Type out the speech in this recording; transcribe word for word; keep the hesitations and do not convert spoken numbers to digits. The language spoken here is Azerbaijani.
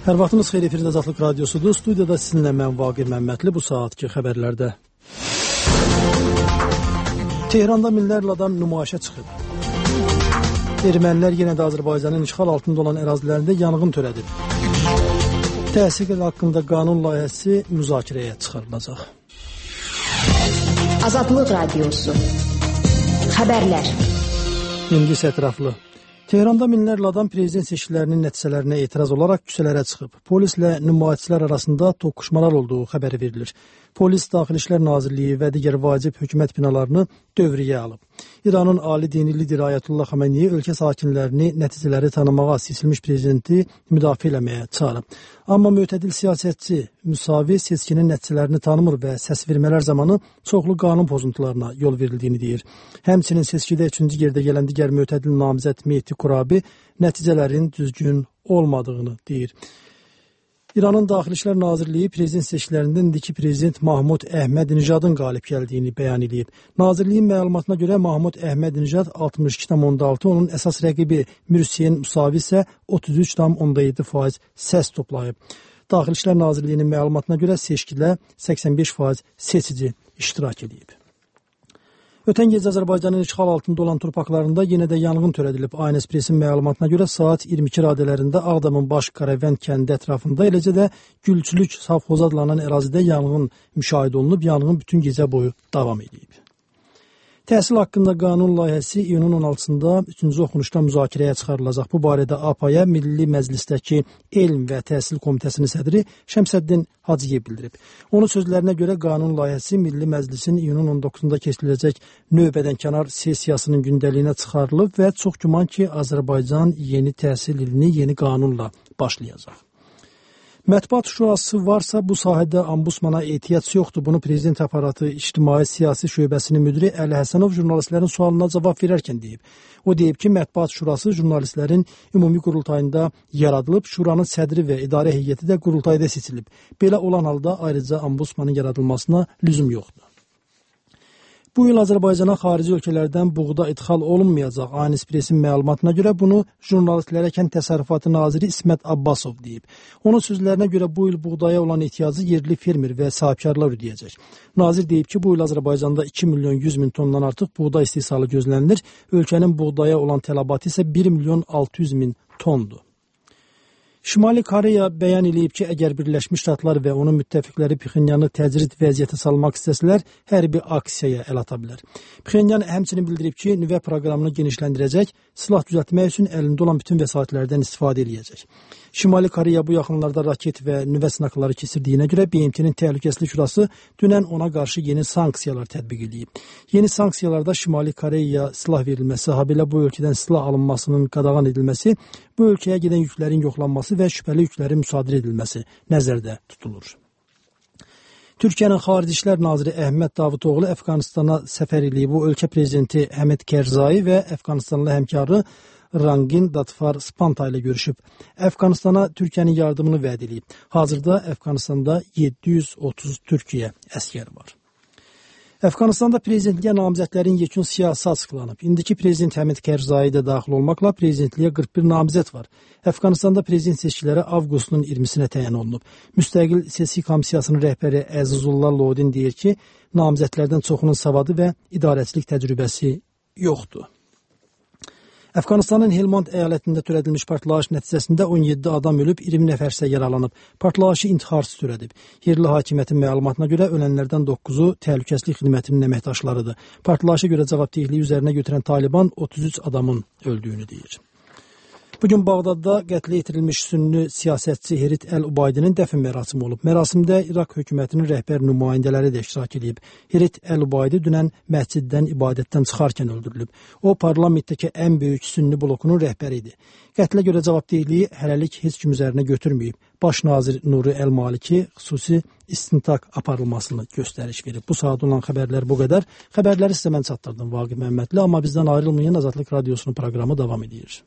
Hər vaxtınız xeyir, efirdə Azadlıq Radiosudur. Studiyada sizinlə mən Vaqir Məmmədli. Bu saatki xəbərlərdə. Tehranda minlərlə adam nümayişə çıxıb. Ermənilər yenə də Azərbaycanın işğal altında olan ərazilərində yanğın törədib. Təhsil haqqında qanun layihəsi müzakirəyə çıxarılacaq. Azadlıq Radiosu. Xəbərlər. İndi isə ətraflı. Tehranda minlərlə adam prezident seçkilərinin nəticələrinə etiraz olaraq küçələrə çıxıb. Polislə nümayişçilər arasında toqquşmalar olduğu xəbəri verilir. Polis, Daxili İşlər Nazirliyi və digər vacib hökumət binalarını dövriyə alıb. İranın ali dini lideri Ayətullah Xameneyi ölkə sakinlərini nəticələri tanımağa, seçilmiş prezidenti müdafiə eləməyə çağırıb. Amma mütədil siyasətçi müsavi seçkinin nəticələrini tanımır və səs vermələr zamanı çoxlu qanun pozuntularına yol verildiyini deyir. Həmçinin seçkidə üçüncü yerdə gələn digər mütədil namizəd Mehdi Qurabi nəticələrin düzgün olmadığını deyir. İranın Daxili İşlər Nazirliyi prezident seçkilərində indiki prezident Mahmud Əhməd-Nijadın qalib gəldiyini bəyan edib. Nazirliyin məlumatına görə Mahmud Əhməd-Nijad altmış iki tam onda altı, onun əsas rəqibi Mürsiyen Musavi isə otuz üç tam onda yeddi faiz səs toplayıb. Daxili İşlər Nazirliyinin məlumatına görə seçkidə səksən beş faiz seçici iştirak edib. Ötən gecə Azərbaycanın işğal altında olan torpaqlarında yenə də yanğın törədilib. A N S Pressin məlumatına görə saat iyirmi iki radələrində Ağdamın Baş Qaravənd kəndi ətrafında, eləcə də Gülçülük savxozu adlanan ərazidə yanğın müşahidə olunub. Yanğın bütün gecə boyu davam edib. Təhsil haqqında qanun layihəsi iyunun on altısında üçüncü oxunuşda müzakirəyə çıxarılacaq. Bu barədə A P A-ya Milli Məclisdəki Elm və Təhsil Komitəsinin sədri Şəmsəddin Hacıyev bildirib. Onun sözlərinə görə qanun layihəsi Milli Məclisin iyunun on doqquzunda keçiriləcək növbədənkənar sessiyasının gündəliyinə çıxarılıb və çox güman ki, Azərbaycan yeni təhsil ilini yeni qanunla başlayacaq. Mətbuat şurası varsa bu sahədə ombudsmana ehtiyac yoxdur. Bunu prezident aparatı İctimai Siyasi Şöbəsinin müdiri Əli Həsənov jurnalistlərin sualına cavab verərkən deyib. O deyib ki, Mətbuat Şurası jurnalistlərin ümumi qurultayında yaradılıb, şuranın sədri və idarə heyəti də qurultayda seçilib. Belə olan halda ayrıca ombudsmanın yaradılmasına lüzum yoxdur. Bu il Azərbaycana xarici ölkələrdən buğda idxal olunmayacaq. A N S Pressin məlumatına görə bunu jurnalistlərə Kənd Təsərrüfatı naziri İsmət Abbasov deyib. Onun sözlərinə görə bu il buğdaya olan ehtiyacı yerli fermer və sahibkarlar ödəyəcək. Nazir deyib ki, bu il Azərbaycanda iki milyon yüz min tondan artıq buğda istehsalı gözlənilir. Ölkənin buğdaya olan tələbatı isə bir milyon altı yüz min tondur. Şimali Koreya bəyan edib ki, əgər Birləşmiş Ştatlar və onun müttəfiqləri Pxenyanı təcrid vəziyyətə salmaq istəsələr, hərbi aksiyaya əl ata bilər. Pxenyan həmçinin bildirib ki, nüvə proqramını genişləndirəcək, silah düzəltmək üçün əlində olan bütün vəsaitlərdən istifadə edəcək. Şimali Koreya bu yaxınlarda raket və nüvə sınaqları keçirdiyinə görə B M T-nin Təhlükəsizlik Şurası dünən ona qarşı yeni sanksiyalar tətbiq edib. Yeni sanksiyalarda Şimali Koreyaya silah verilməsi, habelə bu ölkədən silah alınmasının qadağan edilməsi, bu ölkəyə gedən yüklərin yoxlanması və şübhəli yüklərin müsadirə edilməsi nəzərdə tutulur. Türkiyənin Xarici İşlər Naziri Əhməd Davutoğlu Əfqanistana səfər edib. Bu ölkə prezidenti Həmid Kərzai və Əfqanistanlı həmkarı Rangin Datfar Spanta ilə görüşüb. Əfqanistana Türkiyənin yardımını vəd edib. Hazırda Əfqanistanda yeddi yüz otuz Türkiyə əskər var. Əfqanistanda prezidentliyə namizədlərin yekun siyahısı açıqlanıb. İndiki prezident Həmid Kərzai də daxil olmaqla prezidentliyə qırx bir namizəd var. Əfqanistanda prezident seçkiləri avqustun iyirmisinə təyin olunub. Müstəqil seçki komissiyasının rəhbəri Əzizullah Lodin deyir ki, namizədlərdən çoxunun savadı və idarəçilik təcrübəsi yoxdur. Əfqanistanın Helmand əyalətində törədilmiş partlayış nəticəsində on yeddi adam ölüb, iyirmi nəfər isə yaralanıb. Partlayışı intiharsız törədib. Yerli hakimiyyətin məlumatına görə ölənlərdən doqquzu təhlükəsizlik xidmətinin əməkdaşlarıdır. Partlayışa görə cavabdehliyi üzərinə götürən Taliban otuz üç adamın öldüyünü deyir. Bugün Bağdadda qətlə yetirilmiş sünni siyasətçi Herit Əl-Ubaydinin dəfn mərasimi olub. Mərasimdə İraq hökumətinin rəhbər nümayəndələri də iştirak edib. Herit Əl-Ubaydi dünən məsciddən ibadətdən çıxarkən öldürülüb. O, parlamentdəki ən böyük sünni blokunun rəhbəri idi. Qətlə görə cavabdehliyi hələlik heç kim üzərinə götürməyib. Baş nazir Nuri Əl-Maliki xüsusi istintaq aparılmasını göstəriş verib. Bu saat olan xəbərlər bu qədər. Xəbərləri sizə mən çatdırdım Vaqif Məmmədli, amma bizdən ayrılmayın, Azadlıq Radiosunun proqramı davam edir.